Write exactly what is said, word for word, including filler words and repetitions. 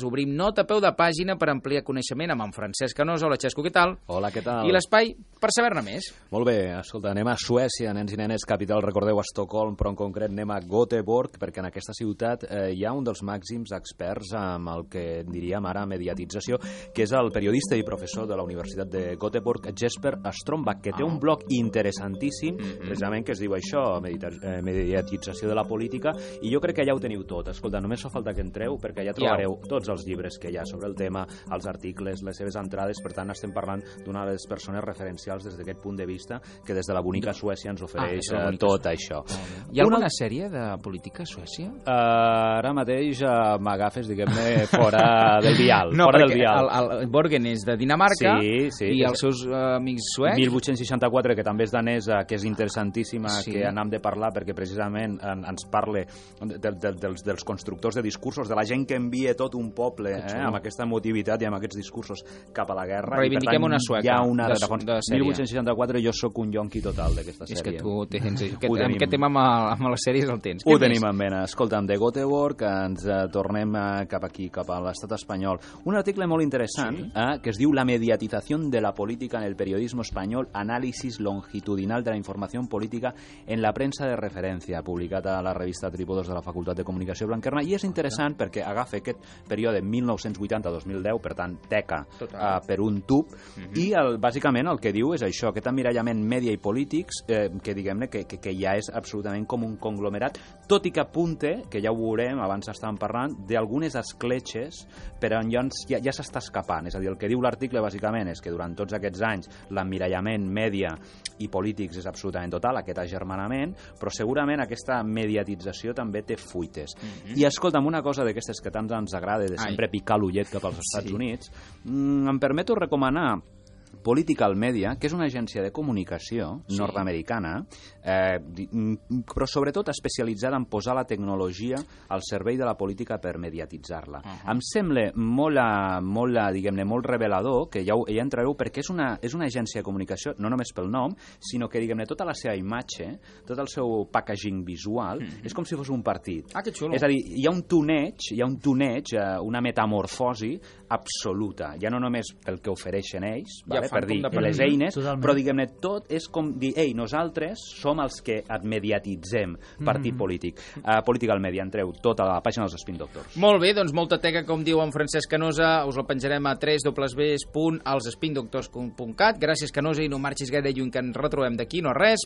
Obrim nota a peu de pàgina per ampliar coneixement amb en Francesc Canosa. Hola, Xesco, què tal? Hola, què tal? I l'espai per saber-ne més. Molt bé, escolta, anem a Suècia, nens i nenes, capital, recordeu, a Estocolm, però en concret anem a Göteborg, perquè en aquesta ciutat eh, hi ha un dels màxims experts amb el que diríem ara mediatització, que és el periodista i professor de la Universitat de Göteborg, Jesper Strombak, que té un blog interessantíssim, mm-hmm. precisament que es diu això, medita eh, mediatització de la política, i jo crec que allà ho teniu tot. Escolta, només fa falta que entreu, perquè allà trobareu tots els llibres que hi ha sobre el tema, els articles, les seves entrades. Per tant, estem parlant d'una de les persones referencials des d'aquest punt de vista, que des de la bonica Suècia ens ofereix ah, tot Suècia. Això. Hi ha una... alguna sèrie de política a Suècia? Uh, ara mateix uh, m'agafes, diguem-ne, fora del vial. No, fora perquè del vial. El, el Borgen és de Dinamarca sí, sí, i és... els seus uh, amics suecs... mil vuit-cents seixanta-quatre, que també és danesa, que és interessantíssima, sí. que anem de parlar, perquè precisament en, ens parla de, de, dels, dels constructors de discursos, de la gent que envia tot un poble, eh, amb aquesta emotivitat i amb aquests discursos cap a la guerra. Reivindiquem tant, una sueca hi ha una de, de sèrie. mil vuit-cents seixanta-quatre jo sóc un yonqui total d'aquesta sèrie. És que tu tens... Que, amb aquest tema amb, amb les sèries el tens. Ho tenim en mena. Escolta'm, de Göteborg ens eh, tornem eh, cap aquí, cap a l'estat espanyol. Un article molt interessant sí. eh, que es diu La mediatización de la política en el periodismo español, análisis longitudinal de la información política en la prensa de referència, publicat a la revista Trípodos de la Facultat de Comunicació Blanquerna, i és interessant ja. perquè agafa aquest període mil nou-cents vuitanta a dos mil deu, per tant, teca uh, per un tub, uh-huh. i el, bàsicament el que diu és això, aquest emmirallament mèdia i polítics, eh, que diguem-ne que, que, que ja és absolutament com un conglomerat, tot i que apunte, que ja ho veurem, abans estàvem parlant, d'algunes escletxes per on ja, ja, ja s'està escapant. És a dir, el que diu l'article bàsicament és que durant tots aquests anys l'emmirallament mèdia i polítics és absolutament total, aquest agermanament, però segurament aquesta mediatització també té fuites. Uh-huh. I escolta'm, una cosa d'aquestes que tant ens agrada, de sempre Ai. picar l'ullet cap als Estats sí. Units, mm, em permeto recomanar Political Media, que és una agència de comunicació sí. nord-americana, eh, però sobretot especialitzada en posar la tecnologia al servei de la política per mediatitzar-la. Uh-huh. Em sembla molt, molt, diguem-ne, molt revelador, que ja, ja entrareu, perquè és una, és una agència de comunicació, no només pel nom, sinó que, diguem-ne, tota la seva imatge, tot el seu packaging visual, uh-huh. és com si fos un partit. Ah, que xulo. És a dir, hi ha un toneig, hi ha un toneig, una metamorfosi absoluta, ja no només pel que ofereixen ells, ja vale? per dir les eines, Totalment. però diguem-ne, tot és com dir, ei, nosaltres som els que et mediatitzem, partit mm-hmm. polític. Uh, Political Media, entreu tota la pàgina dels Spin Doctors. Molt bé, doncs molta teca, com diu en Francesc Canosa, us la penjarem a w w w punt els spin doctors punt cat. Gràcies, Canosa, i no marxis gaire lluny, que ens retrobem d'aquí, no res.